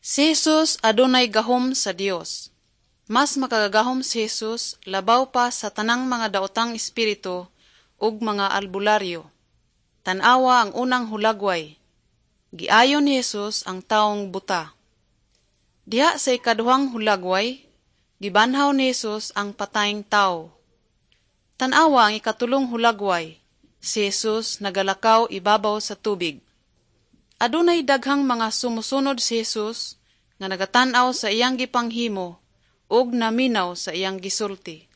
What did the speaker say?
Si Jesus adunay gahom sa Dios. Mas makagagahom si Jesus labaw pa sa tanang mga daotang espiritu ug mga albularyo. Tan-awa ang unang hulagway. Giayo ni Jesus ang taong buta. Diha sa ikaduhang hulagway, gibanhaw ni Jesus ang patayng tawo. Tan-awa ang ikatulong hulagway. Si Jesus nagalakaw ibabaw sa tubig. Adunay daghang mga sumusunod si Jesus nga nagatan-aw sa iyang gipanghimo ug naminaw sa iyang gisulti.